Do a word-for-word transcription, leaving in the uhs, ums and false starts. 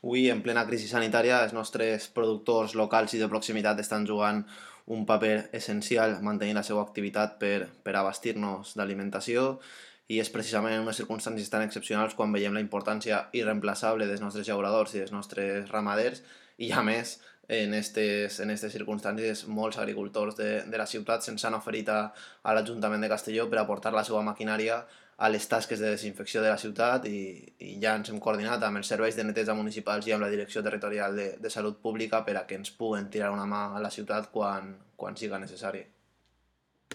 Avui, en plena crisi sanitària, els nostres productors locals i de proximitat estan jugant un paper essencial mantenint la seva activitat per, per abastir-nos d'alimentació i és precisament en unes circumstàncies tan excepcionals quan veiem la importància irreemplaçable dels nostres llauradors i dels nostres ramaders i a més en aquestes en estes circumstàncies molts agricultors de, de la ciutat se'ns han oferit a, a l'Ajuntament de Castelló per aportar la seva maquinària a les tasques de desinfecció de la ciutat i, i ja ens hem coordinat amb els serveis de neteja municipals i amb la Direcció Territorial de, de Salut Pública per a que ens puguen tirar una mà a la ciutat quan, quan siga necessari.